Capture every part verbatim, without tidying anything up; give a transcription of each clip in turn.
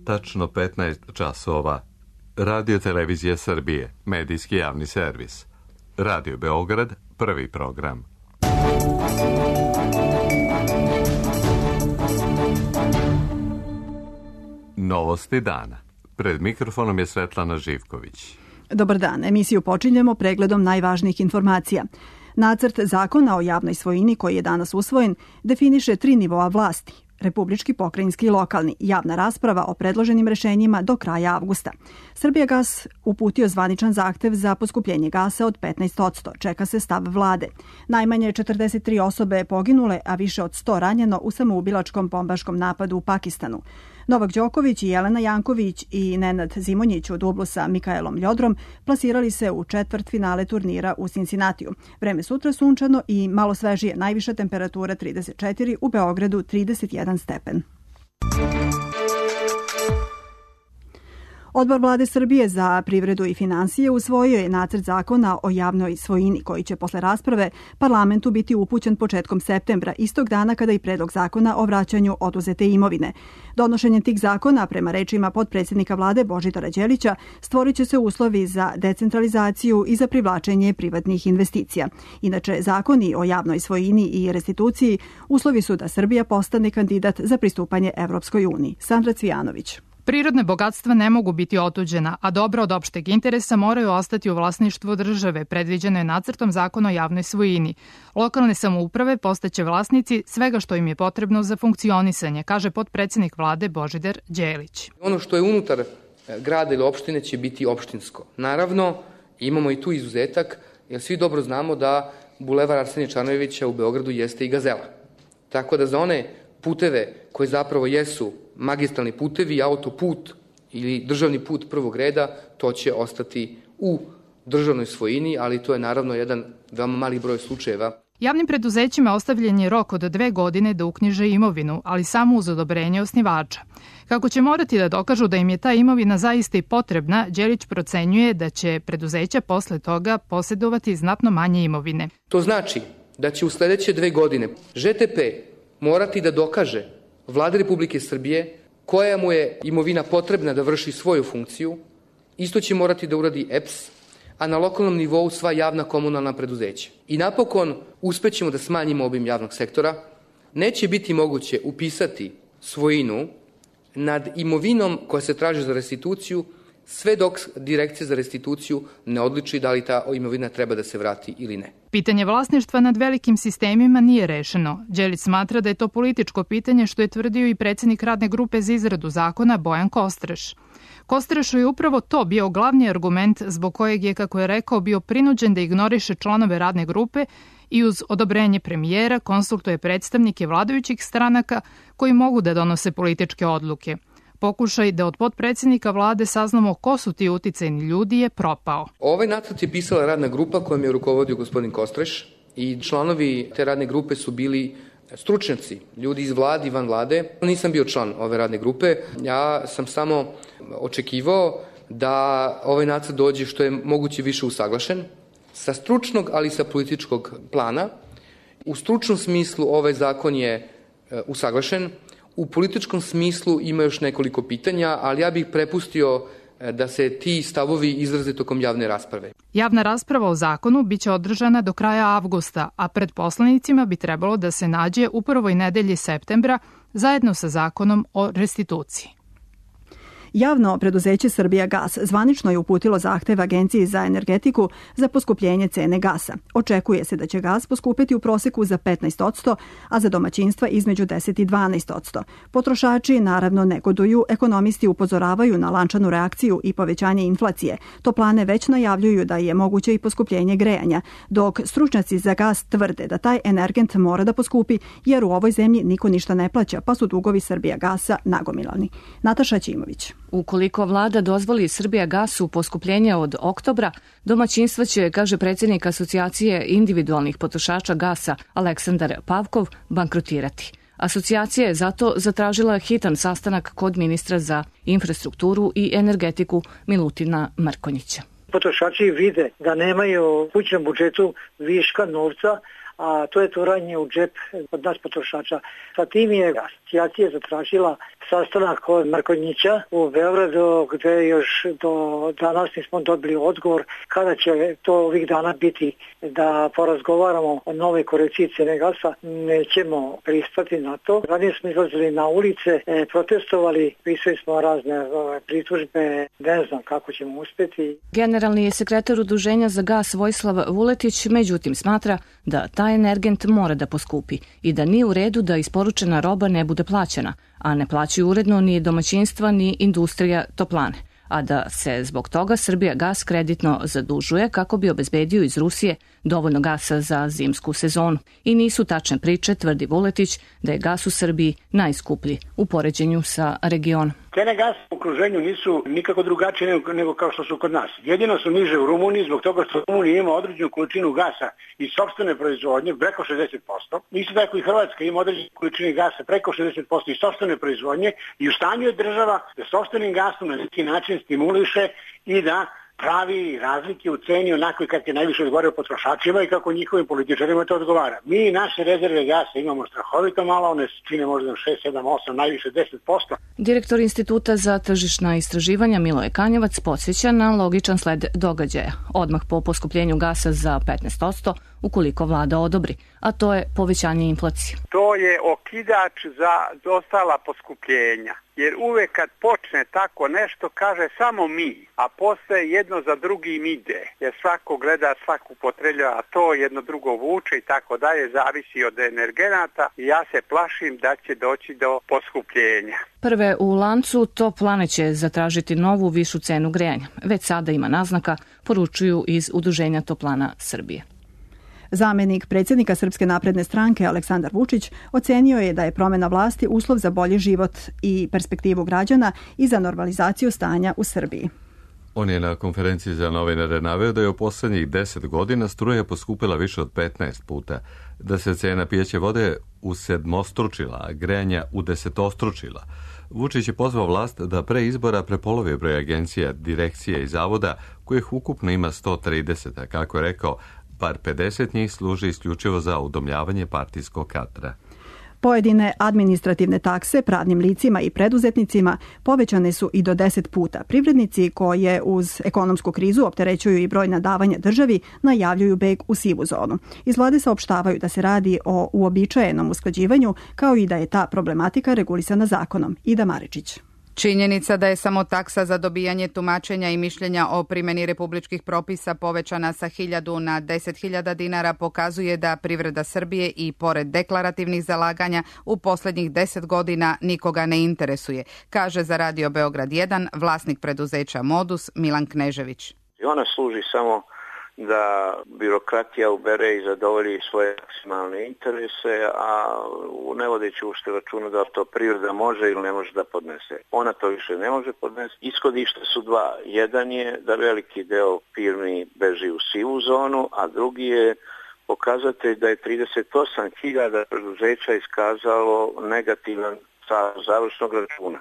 Tačno petnaest časova. Radio Televizija Srbije, medijski javni servis. Radio Beograd, prvi program. Novosti dana. Pred mikrofonom je Svetlana Živković. Dobar dan. Emisiju počinjemo pregledom najvažnijih informacija. Nacrt zakona o javnoj svojini koji je danas usvojen definiše tri nivoa vlasti: republički, pokrajinski i lokalni. Javna rasprava o predloženim rešenjima do kraja avgusta. Srbijagas uputio zvaničan zahtev za poskupljenje gasa od petnaest posto. Čeka se stav vlade. Najmanje četrdeset tri osobe poginule, a više od sto ranjeno u samoubilačkom bombaškom napadu u Pakistanu. Novak Đoković i Jelena Janković i Nenad Zimonjić u dublu sa Mikaelom Ljodrom plasirali se u četvrt finale turnira u Cincinnatiju. Vreme sutra sunčano i malo svežije, najviša temperatura trideset četiri, u Beogradu trideset jedan stepen. Odbor Vlade Srbije za privredu i finansije usvojio je nacrt zakona o javnoj svojini koji će posle rasprave parlamentu biti upućen početkom septembra, istog dana kada i predlog zakona o vraćanju oduzete imovine. Donošenjem tih zakona, prema rečima potpredsjednika vlade Božidara Đelića, stvorit će se uslovi za decentralizaciju i za privlačenje privatnih investicija. Inače, zakoni o javnoj svojini i restituciji uslovi su da Srbija postane kandidat za pristupanje Evropskoj uniji. Sandra Cvijanović. Prirodne bogatstva ne mogu biti otuđena, a dobra od opšteg interesa moraju ostati u vlasništvu države, predviđeno je nacrtom zakona o javnoj svojini. Lokalne samouprave postaće vlasnici svega što im je potrebno za funkcionisanje, kaže potpredsjednik vlade Božidar Đelić. Ono što je unutar grada ili opštine će biti opštinsko. Naravno, imamo i tu izuzetak, jer svi dobro znamo da bulevar Arsenija Čarnojevića u Beogradu jeste i gazela. Tako da za one puteve koji zapravo jesu magistralni putevi, autoput ili državni put prvog reda, to će ostati u državnoj svojini, ali to je naravno jedan veoma mali broj slučajeva. Javnim preduzećima ostavljen je rok od dve godine da uknjiže imovinu, ali samo uz odobrenje osnivača. Kako će morati da dokažu da im je ta imovina zaista i potrebna, Đelić procenjuje da će preduzeća posle toga posjedovati znatno manje imovine. To znači da će u sledeće dve godine Ž T P morati da dokaže Vlade Republike Srbije koja mu je imovina potrebna da vrši svoju funkciju. Isto će morati da uradi E P S, a na lokalnom nivou sva javna komunalna preduzeća. I napokon uspećemo da smanjimo obim javnog sektora. Neće biti moguće upisati svojinu nad imovinom koja se traži za restituciju, sve dok Direkcija za restituciju ne odluči da li ta imovina treba da se vrati ili ne. Pitanje vlasništva nad velikim sistemima nije rešeno. Đelić smatra da je to političko pitanje, što je tvrdio i predsjednik radne grupe za izradu zakona Bojan Kostreš. Kostrešu je upravo to bio glavni argument zbog kojeg je, kako je rekao, bio prinuđen da ignoriše članove radne grupe i uz odobrenje premijera konsultuje predstavnike vladajućih stranaka koji mogu da donose političke odluke. Pokušaj da od potpredsjednika vlade saznamo ko su ti uticajni ljudi je propao. Ovaj nacrt je pisala radna grupa kojom je rukovodio gospodin Kostreš i članovi te radne grupe su bili stručnjaci, ljudi iz vlade i van vlade. Nisam bio član ove radne grupe, ja sam samo očekivao da ovaj nacrt dođe što je moguće više usaglašen sa stručnog, ali i sa političkog plana. U stručnom smislu ovaj zakon je usaglašen. U političkom smislu ima još nekoliko pitanja, ali ja bih prepustio da se ti stavovi izraze tokom javne rasprave. Javna rasprava o zakonu biće održana do kraja avgusta, a pred poslanicima bi trebalo da se nađe u prvoj nedelji septembra zajedno sa zakonom o restituciji. Javno preduzeće Srbijagas zvanično je uputilo zahtev Agenciji za energetiku za poskupljenje cene gasa. Očekuje se da će gas poskupeti u proseku za petnaest posto, a za domaćinstva između deset i dvanaest posto. Potrošači naravno negoduju, ekonomisti upozoravaju na lančanu reakciju i povećanje inflacije. Toplane već najavljuju da je moguće i poskupljenje grejanja, dok stručnjaci za gas tvrde da taj energent mora da poskupi jer u ovoj zemlji niko ništa ne plaća, pa su dugovi Srbijagasa nagomilani. Nataša Ćimović. Ukoliko vlada dozvoli Srbijagasu poskupljenje od oktobra, domaćinstva će, kaže predsjednik Asocijacije individualnih potrošača gasa Aleksandar Pavkov, bankrotirati. Asocijacija je zato zatražila hitan sastanak kod ministra za infrastrukturu i energetiku Milutina Mrkonjića. Potrošači vide da nemaju u kućnom budžetu viška novca, a to je turanje u džep od nas potrošača. Sa tim je asocijacija zatražila sastanak od Mrkonjića u Beogradu, gde još do danas nismo dobili odgovor kada će to ovih dana biti da porazgovaramo o nove korekciji cene gasa. Nećemo pristati na to. Ranije smo izlazili na ulice, e, protestovali, pisali smo razne ove, pritužbe, ne znam kako ćemo uspjeti. Generalni sekretar Udruženja za gas Vojislav Vuletić međutim smatra da taj energent mora da poskupi i da nije u redu da isporučena roba ne bude plaćena, a ne plaćaju uredno ni domaćinstva ni industrija toplane, a da se zbog toga Srbija gas kreditno zadužuje kako bi obezbedio iz Rusije dovoljno gasa za zimsku sezonu. I nisu tačne priče, tvrdi Vuletić, da je gas u Srbiji najskuplji u poređenju sa regionom. Cene gasa u okruženju nisu nikako drugačije nego, nego kao što su kod nas. Jedino su niže u Rumuniji zbog toga što Rumunija ima određenu količinu gasa iz sopstvene proizvodnje preko šezdeset posto. Isto tako i Hrvatska ima određenu količinu gasa preko šezdeset posto iz sopstvene proizvodnje i u stanju je država da sopstvenim gasom na neki način stimuliše i da pravi razlike u ceni onako kako je najviše odgovarao potrošačima i kako njihovim političarima to odgovara. Mi naše rezerve gasa imamo strahovito malo, one čine možda šest, sedam, osam, najviše deset posto. Direktor Instituta za tržišna istraživanja Miloje Kanjevac podsjeća na logičan sled događaja, odmah po poskupljenju gasa za petnaest posto ukoliko vlada odobri, a to je povećanje inflacije. To je okidač za ostala poskupljenja. Jer uvek kad počne tako nešto kaže samo mi, a posle jedno za drugim ide. Jer svako gleda, svako upotrebljava, a to jedno drugo vuče i tako dalje, zavisi od energenata i ja se plašim da će doći do poskupljenja. Prve u lancu toplane će zatražiti novu višu cenu grejanja. Već sada ima naznaka, poručuju iz Udruženja toplana Srbije. Zamenik predsjednika Srpske napredne stranke Aleksandar Vučić ocenio je da je promjena vlasti uslov za bolji život i perspektivu građana i za normalizaciju stanja u Srbiji. On je na konferenciji za novinare naveo da je u posljednjih deset godina struja poskupila više od petnaest puta, da se cena pijeće vode usedmostručila, a grejanja udesetostručila. Vučić je pozvao vlast da pre izbora prepolovi broj agencija, direkcije i zavoda, kojih ukupno ima sto trideset, a kako je rekao, bar pedeset njih služi isključivo za udomljavanje partijskog kadra. Pojedine administrativne takse pravnim licima i preduzetnicima povećane su i do deset puta. Privrednici koje uz ekonomsku krizu opterećuju i brojna davanja državi najavljuju beg u sivu zonu. Iz vlade saopštavaju da se radi o uobičajenom usklađivanju, kao i da je ta problematika regulisana zakonom. Ida Maričić. Činjenica da je samo taksa za dobijanje tumačenja i mišljenja o primjeni republičkih propisa povećana sa hiljadu na deset hiljada dinara pokazuje da privreda Srbije i pored deklarativnih zalaganja u posljednjih deset godina nikoga ne interesuje, kaže za Radio Beograd jedan vlasnik preduzeća Modus Milan Knežević. Ona služi samo da birokratija ubere i zadovolji svoje maksimalne interese, a ne vodeći ušte računa da to privreda može ili ne može da podnese. Ona to više ne može podnese. Ishodište su dva. Jedan je da veliki deo firmi beži u sivu zonu, a drugi je pokazatelj da je trideset osam hiljada preduzeća iskazalo negativan stav završnog računa.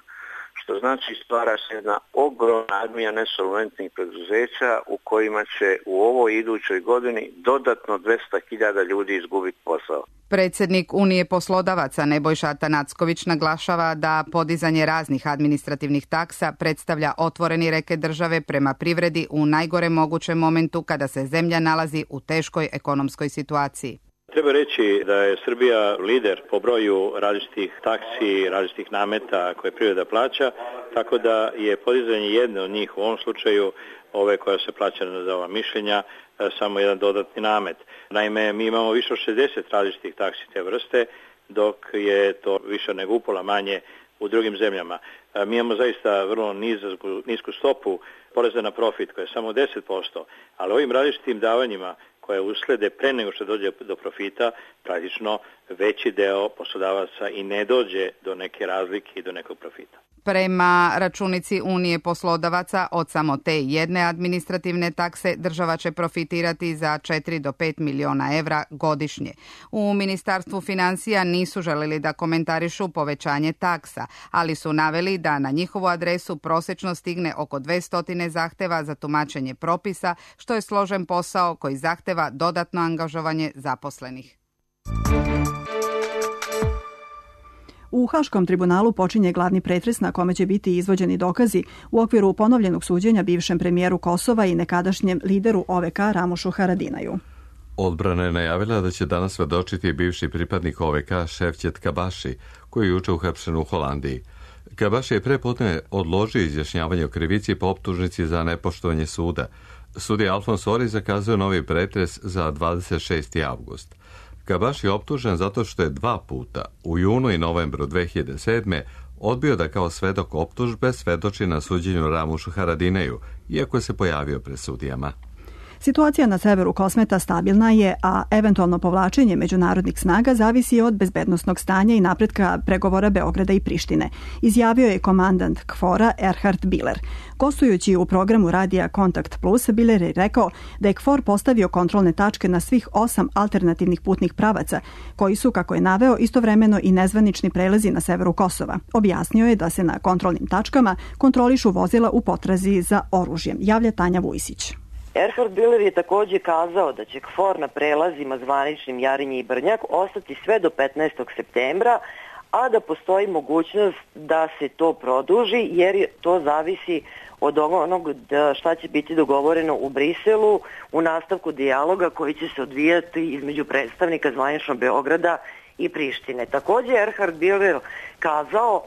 Što znači stvara se jedna ogromna armija nesolventnih preduzeća u kojima će u ovoj idućoj godini dodatno dvesta hiljada ljudi izgubiti posao. Predsjednik Unije poslodavaca Nebojša Atanacković naglašava da podizanje raznih administrativnih taksa predstavlja otvoreni reket države prema privredi u najgorem mogućem momentu kada se zemlja nalazi u teškoj ekonomskoj situaciji. Treba reći da je Srbija lider po broju različitih taksi, različitih nameta koje privreda plaća, tako da je podizanje jedne od njih u ovom slučaju, ove koja se plaća za ova mišljenja, samo jedan dodatni namet. Naime, mi imamo više od šezdeset različitih taksi te vrste, dok je to više nego upola manje u drugim zemljama. Mi imamo zaista vrlo nizku, nisku stopu poreza na profit koja je samo deset posto, ali ovim različitim davanjima koje uslede pre nego što dođe do profita, praktično veći deo poslodavaca i ne dođe do neke razlike i do nekog profita. Prema računici Unije poslodavaca od samo te jedne administrativne takse država će profitirati za četiri do pet miliona evra godišnje. U Ministarstvu financija nisu želeli da komentarišu povećanje taksa, ali su naveli da na njihovu adresu prosečno stigne oko dvesta zahteva za tumačenje propisa, što je složen posao koji zahteva dodatno angažovanje zaposlenih. U Haškom tribunalu počinje glavni pretres na kome će biti izvođeni dokazi u okviru ponovljenog suđenja bivšem premijeru Kosova i nekadašnjem lideru O V K Ramušu Haradinaju. Odbrana je najavila da će danas svedočiti bivši pripadnik O V K Ševčet Kabaši, koji je juče uhapšen u Holandiji. Kabaši je prepodne odložio izjašnjavanje o krivici po optužnici za nepoštovanje suda. Sudija Alfons Ori zakazuje novi pretres za dvadeset šesti avgust. Kabaši je optužen zato što je dva puta, u junu i novembru dve hiljade sedme. odbio da kao svedok optužbe svedoči na suđenju Ramušu Haradineju, iako se pojavio pred sudijama. Situacija na severu Kosmeta stabilna je, a eventualno povlačenje međunarodnih snaga zavisi od bezbednosnog stanja i napretka pregovora Beograda i Prištine, izjavio je komandant KFOR-a Erhard Biller. Gostujući u programu radija Kontakt Plus, Biller je rekao da je KFOR postavio kontrolne tačke na svih osam alternativnih putnih pravaca, koji su, kako je naveo, istovremeno i nezvanični prelazi na severu Kosova. Objasnio je da se na kontrolnim tačkama kontrolišu vozila u potrazi za oružjem, javlja Tanja Vujsić. Erhard Biller je također kazao da će KFOR na prelazima zvaničnim Jarinje i Brnjak ostati sve do petnaestog septembra, a da postoji mogućnost da se to produži jer to zavisi od onog šta će biti dogovoreno u Briselu u nastavku dijaloga koji će se odvijati između predstavnika zvaničnog Beograda i Prištine. Također Erhard Biller kazao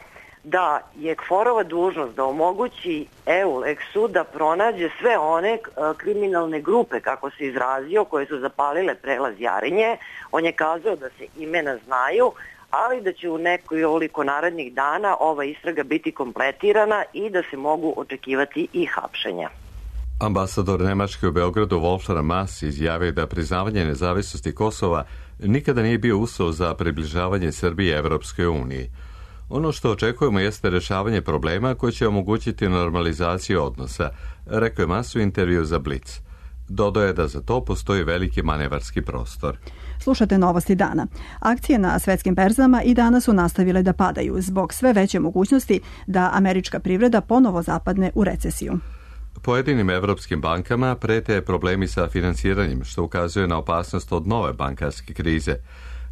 da je KFOR-ova dužnost da omogući EULEX-u da pronađe sve one kriminalne grupe, kako se izrazio, koje su zapalile prelaz Jarinje. On je kazao da se imena znaju, ali da će u nekoliko narednih dana ova istraga biti kompletirana i da se mogu očekivati i hapšenja. Ambasador Nemačke u Beogradu Wolfgang Maass izjavio da priznavanje nezavisnosti Kosova nikada nije bio uslov za približavanje Srbije Evropskoj uniji. Ono što očekujemo jeste rješavanje problema koji će omogućiti normalizaciju odnosa, rekao je Maass u intervju za Blitz. Dodao je da za to postoji veliki manevarski prostor. Slušate novosti dana. Akcije na svetskim berzama i danas su nastavile da padaju zbog sve veće mogućnosti da američka privreda ponovo zapadne u recesiju. Pojedinim evropskim bankama prete problemi sa finansiranjem, što ukazuje na opasnost od nove bankarske krize.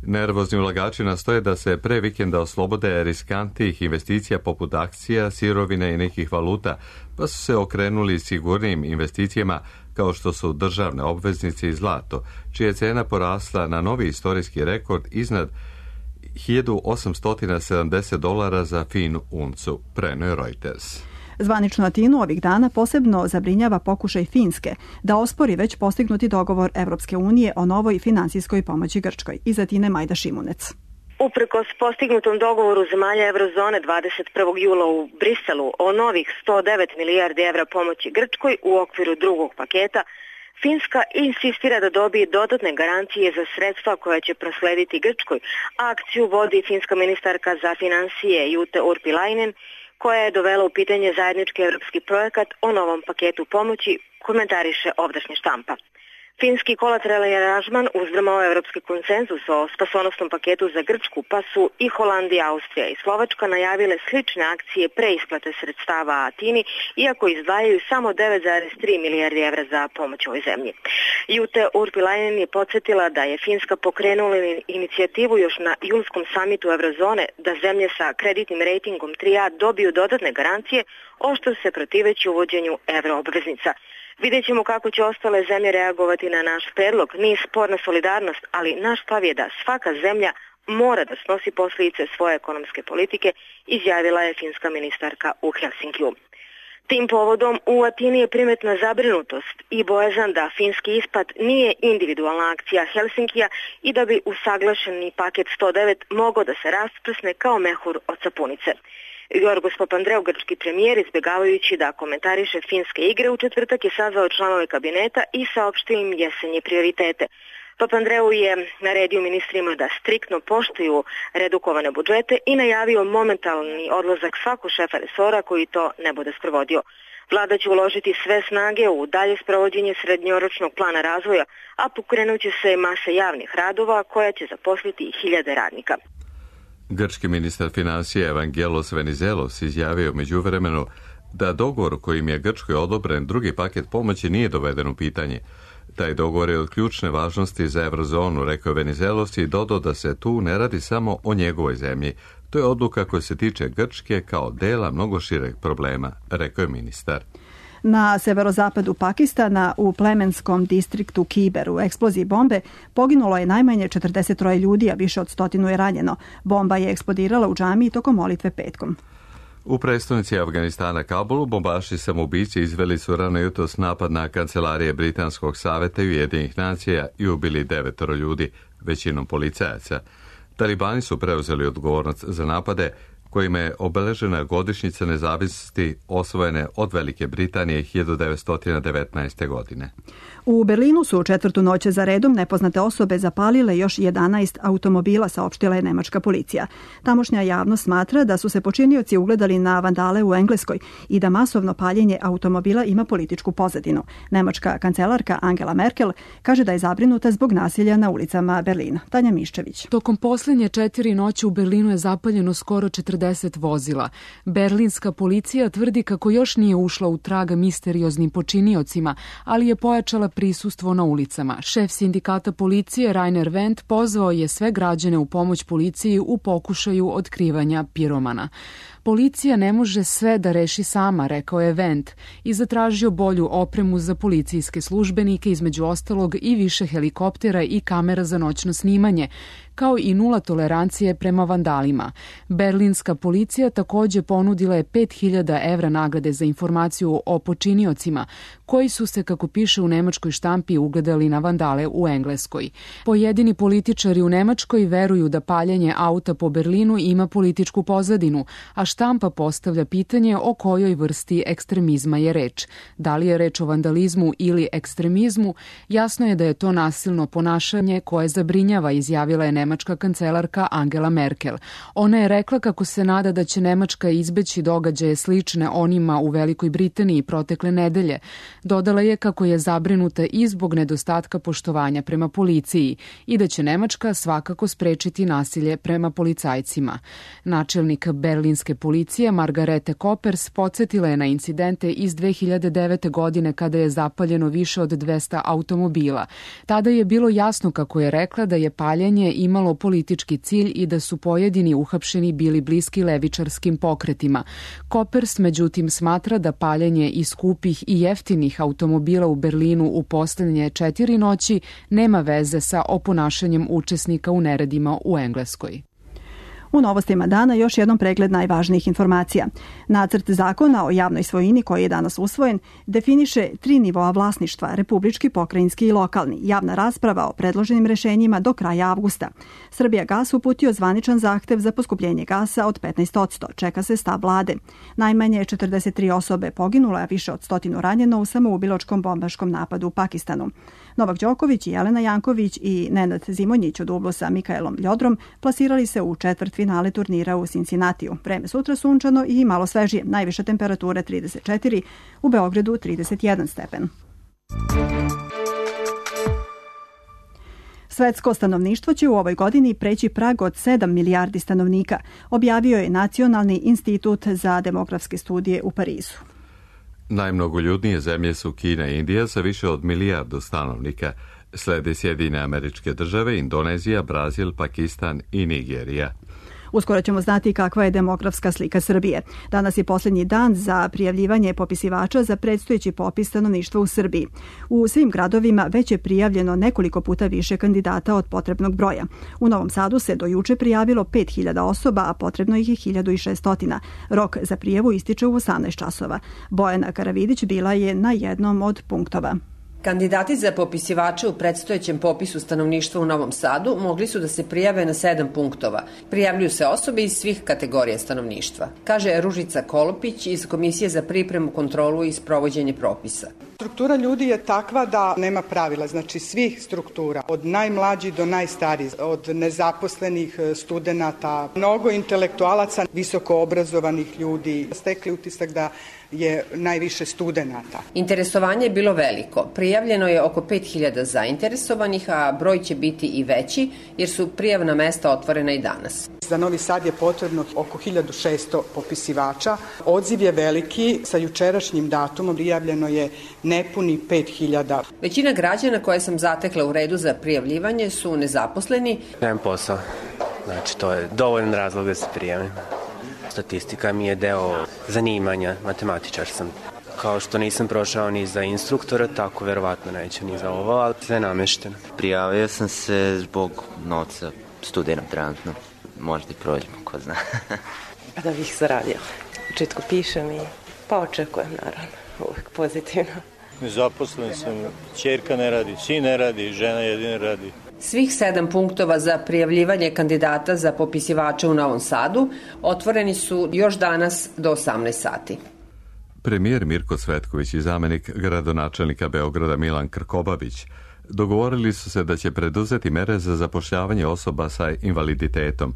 Nervozni ulagači nastoje da se pre vikenda oslobode riskantnih investicija poput akcija, sirovine i nekih valuta, pa su se okrenuli sigurnijim investicijama kao što su državne obveznice i zlato, čija je cena porasla na novi istorijski rekord iznad hiljadu osamsto sedamdeset dolara za finu uncu, preneo je Reuters. Zvaničnu Atinu ovih dana posebno zabrinjava pokušaj Finske da ospori već postignuti dogovor Evropske unije o novoj finansijskoj pomoći Grčkoj. Iz Atine Majda Šimunec. Uprkos postignutom dogovoru zemalja Eurozone dvadeset prvog jula u Briselu o novih sto devet milijardi evra pomoći Grčkoj u okviru drugog paketa, Finska insistira da dobije dodatne garancije za sredstva koja će proslediti Grčkoj. Akciju vodi finska ministarka za finansije Jute Urpilainen, koja je dovela u pitanje zajednički evropski projekat o novom paketu pomoći, komentariše ovdašnja štampa. Finski kolateralni aranžman uzdrmao evropski konsenzus o spasonosnom paketu za Grčku, pa su i Holandija, Austrija i Slovačka najavile slične akcije preisplate sredstava Atini, iako izdvajaju samo devet zarez tri milijardi evra za pomoć ovoj zemlji. Jute Urpilainen je podsjetila da je Finska pokrenula inicijativu još na julskom samitu Eurozone da zemlje sa kreditnim rejtingom tri A dobiju dodatne garancije, oštro se protiveći uvođenju evroobveznica. Vidjet ćemo kako će ostale zemlje reagovati na naš predlog. Nije sporna solidarnost, ali naš stav je da svaka zemlja mora da snosi posljedice svoje ekonomske politike, izjavila je finska ministarka u Helsinkiju. Tim povodom u Atini je primetna zabrinutost i bojazan da finski ispad nije individualna akcija Helsinkija i da bi usaglašeni paket sto devet mogao da se rasprsne kao mehur od sapunice. Jorgos Papandreou, grčki premijer, izbjegavajući da komentariše finske igre, u četvrtak je sazvao članove kabineta i saopštio im jesenje prioritete. Papandreou je naredio ministrima da striktno poštuju redukovane budžete i najavio momentalni odlazak svakog šefa resora koji to ne bude sprovodio. Vlada će uložiti sve snage u dalje sprovođenje srednjoročnog plana razvoja, a pokrenut će se masa javnih radova koja će zaposliti hiljade radnika. Grčki ministar financija Evangelos Venizelos izjavio međuvremenu da dogovor kojim je Grčkoj odobren drugi paket pomoći nije doveden u pitanje. Taj dogovor je od ključne važnosti za eurozonu, rekao je Venizelos i dodao da se tu ne radi samo o njegovoj zemlji. To je odluka koja se tiče Grčke kao dela mnogo šireg problema, rekao je ministar. Na severozapadu Pakistana u plemenskom distriktu Kiber u eksploziji bombe poginulo je najmanje četrdeset troje ljudi, a više od stotinu je ranjeno. Bomba je eksplodirala u džamiji tokom molitve petkom. U prestonici Afganistana Kabulu bombaši samoubici izveli su rano jutros napad na kancelarije Britanskog saveta i Ujedinjenih nacija i ubili devetoro ljudi, većinom policajaca. Talibani su preuzeli odgovornost za napade kojima je obeležena godišnjica nezavisnosti osvojene od Velike Britanije hiljadu devetsto devetnaeste. godine. U Berlinu su u četvrtu noć za redom nepoznate osobe zapalile još jedanaest automobila, saopštila je nemačka policija. Tamošnja javnost smatra da su se počinioci ugledali na vandale u Engleskoj i da masovno paljenje automobila ima političku pozadinu. Nemačka kancelarka Angela Merkel kaže da je zabrinuta zbog nasilja na ulicama Berlina. Tanja Miščević. Tokom posljednje četiri noći u Berlinu je zapaljeno skoro četrdeset vozila. Berlinska policija tvrdi kako još nije ušla u trag misterioznim počiniocima, ali je pojačala prisustvo na ulicama. Šef sindikata policije Rainer Wendt pozvao je sve građane u pomoć policiji u pokušaju otkrivanja piromana. Policija ne može sve da reši sama, rekao je Wendt, i zatražio bolju opremu za policijske službenike, između ostalog i više helikoptera i kamera za noćno snimanje, kao i nula tolerancije prema vandalima. Berlinska policija također ponudila je pet hiljada evra nagrade za informaciju o počiniocima, koji su se, kako piše u nemačkoj štampi, ugledali na vandale u Engleskoj. Pojedini političari u Nemačkoj veruju da paljenje auta po Berlinu ima političku pozadinu, a štampa postavlja pitanje o kojoj vrsti ekstremizma je reč. Da li je reč o vandalizmu ili ekstremizmu, jasno je da je to nasilno ponašanje koje zabrinjava, izjavila je nemačka kancelarka Angela Merkel. Ona je rekla kako se nada da će Nemačka izbeći događaje slične onima u Velikoj Britaniji protekle nedelje. Dodala je kako je zabrinuta i zbog nedostatka poštovanja prema policiji i da će Nemačka svakako sprečiti nasilje prema policajcima. Načelnik berlinske policije Margarete Koppers podsjetila je na incidente iz dve hiljade devete. godine kada je zapaljeno više od dvesta automobila. Tada je bilo jasno, kako je rekla, da je paljenje imalo politički cilj i da su pojedini uhapšeni bili bliski levičarskim pokretima. Koppers međutim smatra da paljenje iz skupih i jeftinih automobila u Berlinu u posljednje četiri noći nema veze sa oponašanjem učesnika u neredima u Engleskoj. U novostima dana još jednom pregled najvažnijih informacija. Nacrt zakona o javnoj svojini koji je danas usvojen definiše tri nivoa vlasništva, republički, pokrajinski i lokalni. Javna rasprava o predloženim rešenjima do kraja avgusta. Srbijagas uputio zvaničan zahtev za poskupljenje gasa od petnaest posto. Čeka se stav vlade. Najmanje četrdeset tri osobe poginule, a više od stotinu ranjeno u samoubilačkom bombaškom napadu u Pakistanu. Novak Đoković i Jelena Janković i Nenad Zimonjić u dublu sa Mikaelom Ljodrom plasirali se u četvrt finale turnira u Cincinnatiju. Vreme sutra sunčano i malo svežije. Najviša temperatura trideset četiri, u Beogradu trideset jedan stepen. Svetsko stanovništvo će u ovoj godini preći prag od sedam milijardi stanovnika, objavio je Nacionalni institut za demografske studije u Parizu. Najmnogoljudnije zemlje su Kina i Indija sa više od milijardu stanovnika. Slede Sjedinjene Američke Države, Indonezija, Brazil, Pakistan i Nigerija. Uskoro ćemo znati kakva je demografska slika Srbije. Danas je posljednji dan za prijavljivanje popisivača za predstojeći popis stanovništva u Srbiji. U svim gradovima već je prijavljeno nekoliko puta više kandidata od potrebnog broja. U Novom Sadu se do juče prijavilo pet hiljada osoba, a potrebno ih je hiljadu šesto. Rok za prijavu ističe u osamnaest časova. Bojana Karavidić bila je na jednom od punktova. Kandidati za popisivače u predstojećem popisu stanovništva u Novom Sadu mogli su da se prijave na sedam punktova. Prijavljuju se osobe iz svih kategorija stanovništva, kaže Ružica Kolopić iz Komisije za pripremu, kontrolu i sprovođenje propisa. Struktura ljudi je takva da nema pravila, znači svih struktura, od najmlađih do najstarijih, od nezaposlenih studenata, mnogo intelektualaca, visoko obrazovanih ljudi, stekli utisak da je najviše studenata. Interesovanje je bilo veliko. Prijavljeno je oko pet hiljada zainteresovanih, a broj će biti i veći jer su prijavna mesta otvorena i danas. Za Novi Sad je potrebno oko hiljadu šesto popisivača. Odziv je veliki, sa jučerašnjim datumom prijavljeno je nepuni pet hiljada. Većina građana koje sam zatekla u redu za prijavljivanje su nezaposleni. Nemam posao, znači to je dovoljan razlog da se prijavim. Statistika mi je deo zanimanja, matematičar sam. Kao što nisam prošao ni za instruktora, tako verovatno neću ni za ovo, ali sve namešteno. Prijavio sam se zbog novca, studiram trenutno. Možda i prođemo, ko zna. Da bih zaradio. U početku pišem i pa očekujem, naravno, uvijek pozitivno. Nezaposlen sam, ćerka ne radi, sin ne radi, žena jedina radi. Svih sedam punktova za prijavljivanje kandidata za popisivače u Novom Sadu otvoreni su još danas do osamnaest sati. Premijer Mirko Cvetković i zamenik gradonačelnika Beograda Milan Krkobabić dogovorili su se da će preduzeti mere za zapošljavanje osoba sa invaliditetom.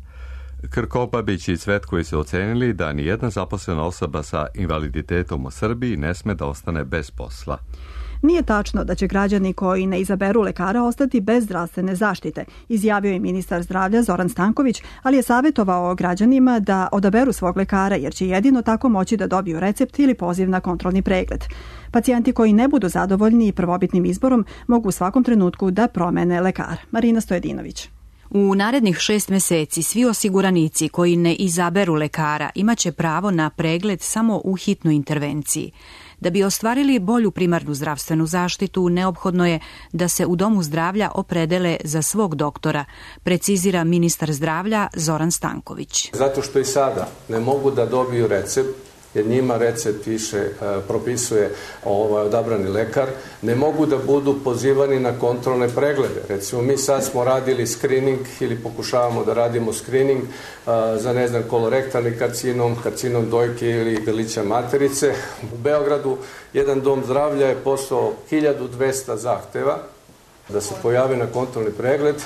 Krkobabić i Cvetković su ocenili da nijedna zaposlena osoba sa invaliditetom u Srbiji ne sme da ostane bez posla. Nije tačno da će građani koji ne izaberu lekara ostati bez zdravstvene zaštite, izjavio je ministar zdravlja Zoran Stanković, ali je savjetovao građanima da odaberu svog lekara jer će jedino tako moći da dobiju recept ili poziv na kontrolni pregled. Pacijenti koji ne budu zadovoljni prvobitnim izborom mogu u svakom trenutku da promene lekara. Marina Stojedinović. U narednih šest meseci svi osiguranici koji ne izaberu lekara imaće pravo na pregled samo u hitnoj intervenciji. Da bi ostvarili bolju primarnu zdravstvenu zaštitu, neophodno je da se u domu zdravlja opredele za svog doktora, precizira ministar zdravlja Zoran Stanković. Zato što i sada ne mogu da dobiju recept, jer njima recept više propisuje ovaj odabrani lekar, ne mogu da budu pozivani na kontrolne preglede. Recimo, mi sad smo radili screening ili pokušavamo da radimo screening za, ne znam, kolorektalni karcinom, karcinom dojke ili grlića materice. U Beogradu jedan dom zdravlja je poslao hiljadu dvesta zahteva da se pojave na kontrolni pregled,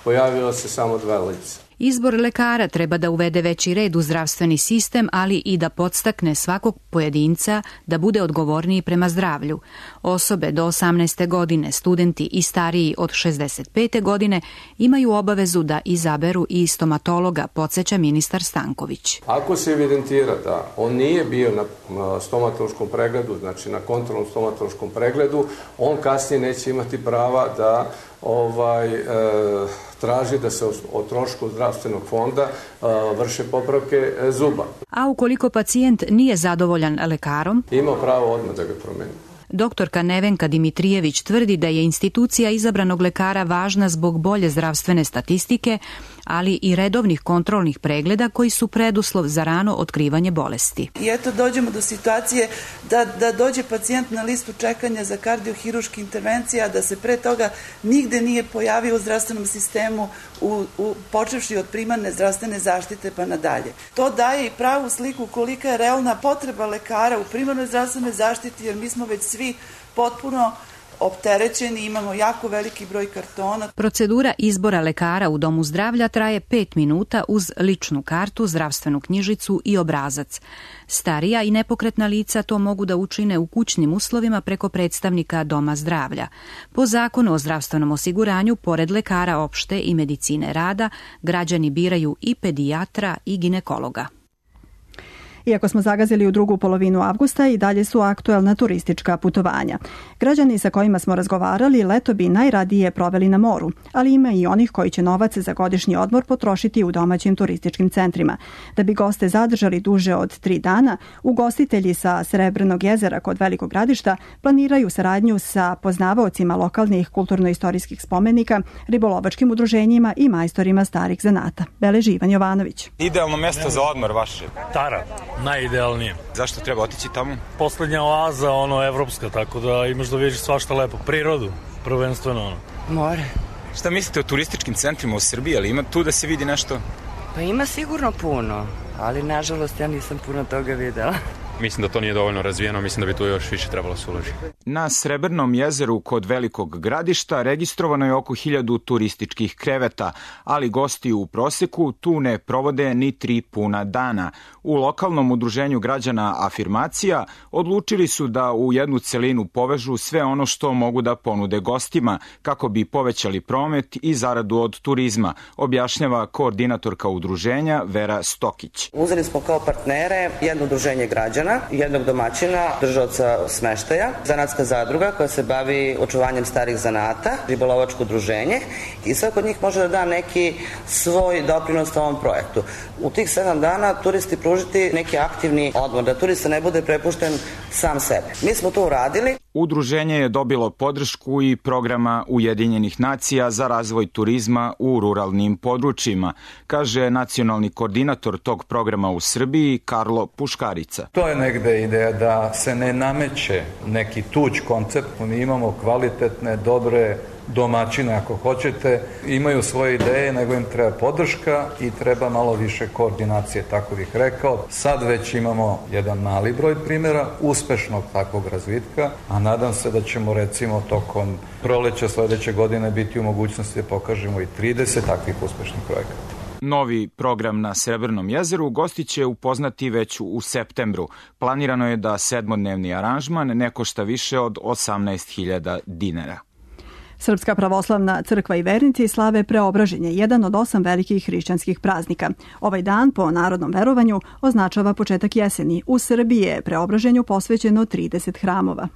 pojavilo se samo dva lica. Izbor lekara treba da uvede veći red u zdravstveni sistem, ali i da podstakne svakog pojedinca da bude odgovorniji prema zdravlju. Osobe do osamnaeste godine, studenti i stariji od šezdeset pete godine imaju obavezu da izaberu i stomatologa, podsjeća ministar Stanković. Ako se evidentira da on nije bio na stomatološkom pregledu, znači na kontrolnom stomatološkom pregledu, on kasnije neće imati prava da ovaj e, traži da se o trošku zdravstvenog fonda e, vrše popravke e, zuba. A ukoliko pacijent nije zadovoljan lekarom, ima pravo odmah da ga promeni. Doktorka Nevenka Dimitrijević tvrdi da je institucija izabranog lekara važna zbog bolje zdravstvene statistike, ali i redovnih kontrolnih pregleda koji su preduslov za rano otkrivanje bolesti. I eto dođemo do situacije da, da dođe pacijent na listu čekanja za kardiohiruške intervencije, a da se pre toga nigde nije pojavio u zdravstvenom sistemu, u, u, počevši od primarne zdravstvene zaštite pa nadalje. To daje i pravu sliku kolika je realna potreba lekara u primarnoj zdravstvenoj zaštiti, jer mi smo već svi potpuno opterećeni, imamo jako veliki broj kartona. Procedura izbora lekara u domu zdravlja traje pet minuta uz ličnu kartu, zdravstvenu knjižicu i obrazac. Starija i nepokretna lica to mogu da učine u kućnim uslovima preko predstavnika doma zdravlja. Po zakonu o zdravstvenom osiguranju, pored lekara opšte i medicine rada, građani biraju i pedijatra i ginekologa. Iako smo zagazili u drugu polovinu avgusta, i dalje su aktuelna turistička putovanja. Građani sa kojima smo razgovarali leto bi najradije proveli na moru, ali ima i onih koji će novac za godišnji odmor potrošiti u domaćim turističkim centrima. Da bi goste zadržali duže od tri dana, ugostitelji sa Srebrenog jezera kod Velikog Gradišta planiraju saradnju sa poznavaocima lokalnih kulturno-istorijskih spomenika, ribolovačkim udruženjima i majstorima starih zanata. Beleži Ivan Jovanović. Idealno mesto za odmor vaše? Tara. Najidealnije. Zašto treba otići tamo? Poslednja oaza, ono, evropska, tako da imaš da vidiš svašta lepo. Prirodu, prvenstveno, ono. More. Šta mislite o turističkim centrima u Srbiji, ali ima tu da se vidi nešto? Pa ima sigurno puno, ali nažalost ja nisam puno toga videla. Mislim da to nije dovoljno razvijeno, mislim da bi tu još više trebalo se uložiti. Na Srebrnom jezeru kod Velikog Gradišta registrovano je oko hiljadu turističkih kreveta, ali gosti u proseku tu ne provode ni tri puna dana. U lokalnom udruženju građana Afirmacija odlučili su da u jednu celinu povežu sve ono što mogu da ponude gostima, kako bi povećali promet i zaradu od turizma, objašnjava koordinatorka udruženja Vera Stokić. Uzeli smo kao partnere jedno udruženje građana, jednog domaćina, držaoca smeštaja, zanatska zadruga koja se bavi očuvanjem starih zanata, ribolovačko udruženje i svako od njih može da da neki svoj doprinos ovom projektu. U tih sedam dana turisti pružiti neki aktivni odmor, da turista ne bude prepušten sam sebe. Mi smo to uradili. Udruženje je dobilo podršku i programa Ujedinjenih nacija za razvoj turizma u ruralnim područjima, kaže nacionalni koordinator tog programa u Srbiji Karlo Puškarica. To je negde ideja da se ne nameće neki tuđ koncept, mi imamo kvalitetne, dobre domaćine, ako hoćete, imaju svoje ideje, nego im treba podrška i treba malo više koordinacije, tako bih rekao. Sad već imamo jedan mali broj primjera uspešnog takvog razvitka, a nadam se da ćemo recimo tokom proleća sledeće godine biti u mogućnosti da pokažemo i trideset takvih uspešnih projekata. Novi program na Srebrnom jezeru gosti će upoznati već u septembru. Planirano je da sedmodnevni aranžman ne košta više od osamnaest hiljada dinara. Srpska pravoslavna crkva i vernici slave Preobraženje, jedan od osam velikih hrišćanskih praznika. Ovaj dan, po narodnom verovanju, označava početak jeseni. U Srbiji je Preobraženju posvećeno trideset hramova.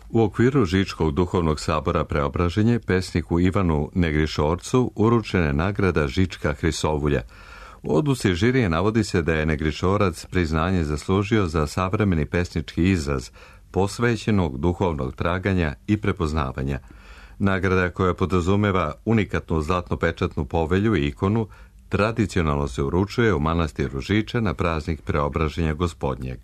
U okviru Žičkog duhovnog sabora Preobraženje pesniku Ivanu Negrišorcu uručena je nagrada Žička Hrisovulja. U odluci žirije navodi se da je Negrišorac priznanje zaslužio za savremeni pesnički izraz posvećenog duhovnog traganja i prepoznavanja. Nagrada koja podrazumeva unikatnu zlatno-pečatnu povelju i ikonu tradicionalno se uručuje u manastiru Žiča na praznik Preobraženja Gospodnjeg.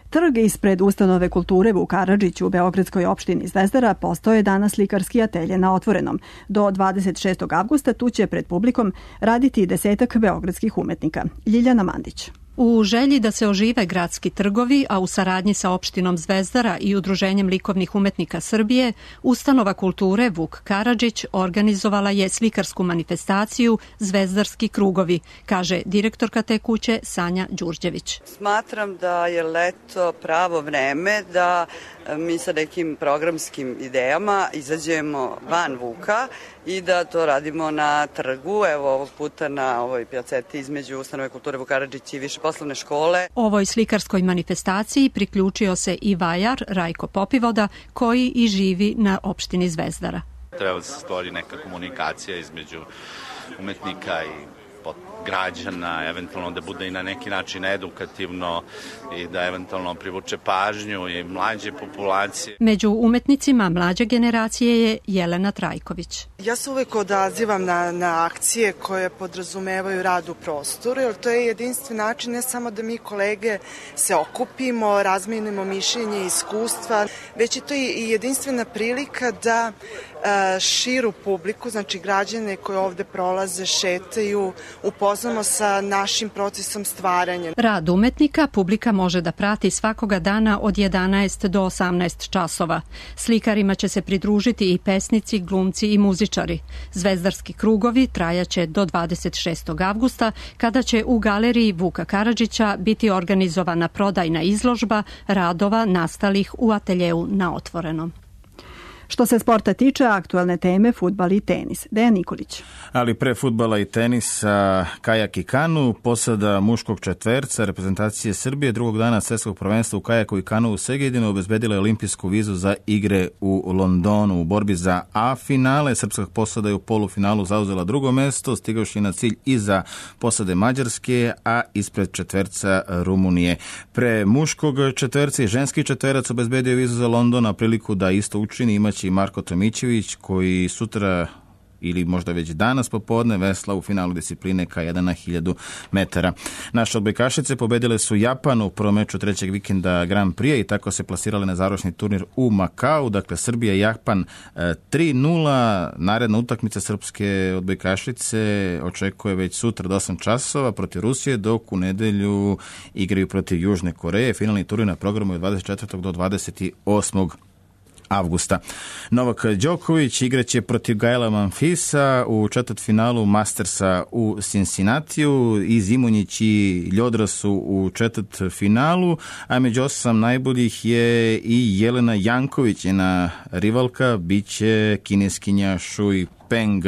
Trg ispred ustanove kulture Vuk Karadžić u beogradskoj opštini Zvezdara postao je danas slikarski atelje na otvorenom. Do dvadeset šestog avgusta tu će pred publikom raditi desetak beogradskih umetnika. Ljiljana Mandić. U želji da se ožive gradski trgovi, a u saradnji sa opštinom Zvezdara i Udruženjem likovnih umetnika Srbije, ustanova kulture Vuk Karadžić organizovala je slikarsku manifestaciju Zvezdarski krugovi, kaže direktorka te kuće Sanja Đurđević. Smatram da je leto pravo vreme da mi sa nekim programskim idejama izađemo van Vuka i da to radimo na trgu, evo ovog puta na ovoj pjaceti između ustanove kulture Vuk Karadžić i više poslovne škole. Ovoj slikarskoj manifestaciji priključio se i vajar Rajko Popivoda, koji i živi na opštini Zvezdara. Treba da se stvori neka komunikacija između umetnika i građana, eventualno da bude i na neki način edukativno i da eventualno privuče pažnju i mlađe populacije. Među umetnicima mlađe generacije je Jelena Trajković. Ja se uvek odazivam na, na akcije koje podrazumevaju rad u prostoru, jer to je jedinstven način ne samo da mi kolege se okupimo, razmenimo mišljenje i iskustva, već je to i jedinstvena prilika da širu publiku, znači građane koji ovde prolaze, šetaju, upoznamo sa našim procesom stvaranja. Rad umetnika publika može da prati svakoga dana od jedanaest do osamnaest časova. Slikarima će se pridružiti i pesnici, glumci i muzičari. Zvezdarski krugovi trajaće do dvadeset šestog avgusta, kada će u galeriji Vuka Karadžića biti organizovana prodajna izložba radova nastalih u ateljeu na otvorenom. Što se sporta tiče, aktuelne teme fudbal i tenis. Dejan Nikolić. Ali pre fudbala i tenisa, kajak i kanu, posada muškog četverca reprezentacije Srbije drugog dana svetskog prvenstva u kajaku i kanu u Segedinu obezbedila je olimpijsku vizu za igre u Londonu. U borbi za A finale srpska posada je u polufinalu zauzela drugo mesto, stigavši na cilj iza posade Mađarske, a ispred četverca Rumunije. Pre muškog četverca i ženski četverac obezbedio vizu za London, a priliku da isto učini imać i Marko Tomićević, koji sutra ili možda već danas popodne vesla u finalu discipline K jedan na hiljadu metara. Naše odbojkašice pobedile su Japan u prvom meču trećeg vikenda Grand Prix i tako se plasirale na završni turnir u Makau. Dakle, Srbija i Japan tri nula. Naredna utakmica srpske odbojkašice očekuje već sutra do osam časova protiv Rusije, dok u nedelju igraju protiv Južne Koreje. Finalni turnir na programu je od dvadeset četvrtog do dvadeset osmog avgusta. Novak Đoković igraće protiv Gaela Manfisa u četvrtfinalu Mastersa u Cincinnatiju. I Zimonjić i Ljodra su u četvrtfinalu, a među osam najboljih je i Jelena Janković, njena rivalka biće kineskinja Shui Peng.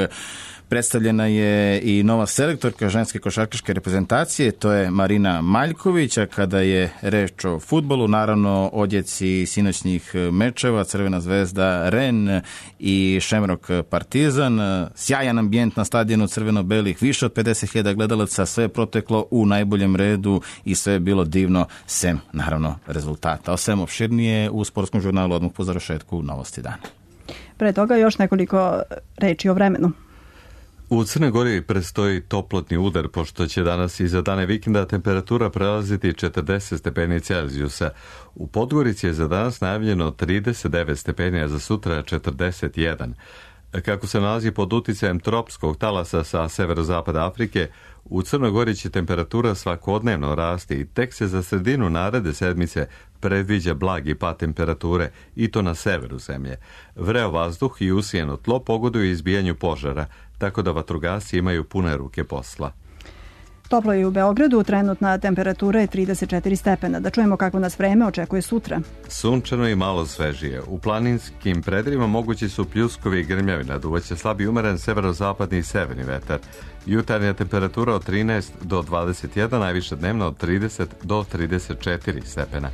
Predstavljena je i nova selektorka ženske košarkaške reprezentacije, to je Marina Maljković, a kada je reč o fudbalu, naravno odjeci sinoćnih mečeva, Crvena zvezda Ren i Šemrok Partizan, sjajan ambijent na stadionu crveno-belih, više od pedeset hiljada gledalaca, sve je proteklo u najboljem redu i sve je bilo divno, sem naravno rezultata. O svem opširnije u sportskom žurnalu odmah po završetku Novosti dana. Pre toga još nekoliko reči o vremenu. U Crnoj Gori predstoji toplotni udar, pošto će danas i za dane vikenda temperatura prelaziti četrdeset stepeni Celzijusa. U Podgorici je za danas najavljeno trideset devet stepeni, a za sutra četrdeset jedan. Kako se nalazi pod uticajem tropskog talasa sa severozapada Afrike, u Crnoj Gori će temperatura svakodnevno rasti i tek se za sredinu naredne sedmice predviđa blagi pad temperature, i to na severu zemlje. Vreo vazduh i usijeno tlo pogoduju izbijanju požara, tako da vatrogasci imaju pune ruke posla. Toplo je u Beogradu, trenutna temperatura je trideset četiri stepena. Da čujemo kako nas vreme očekuje sutra. Sunčano i malo svežije. U planinskim predjelima mogući su pljuskovi i grmljavina, duvaće slabi umeren severozapadni i severni vetar. Jutarnja temperatura od trinaest do dvadeset jedan, najviše dnevno od trideset do trideset četiri stepena.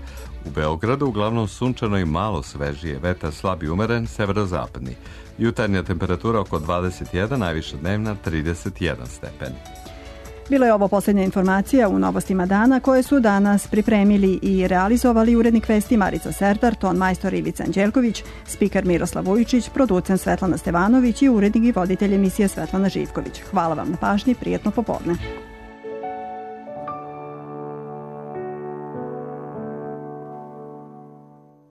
U Beogradu uglavnom sunčano i malo svežije, vetar slabi umeren severozapadni. Jutarnja temperatura oko dvadeset jedan, najviše dnevna trideset jedan stepen. Bila je ovo posljednja informacija u Novostima dana koje su danas pripremili i realizovali urednik vesti Marica Serdar, ton majstor Ivica Anđelković, spiker Miroslav Vujičić, producent Svetlana Stevanović i urednik i voditelj emisije Svetlana Živković. Hvala vam na pažnji, prijetno popodne.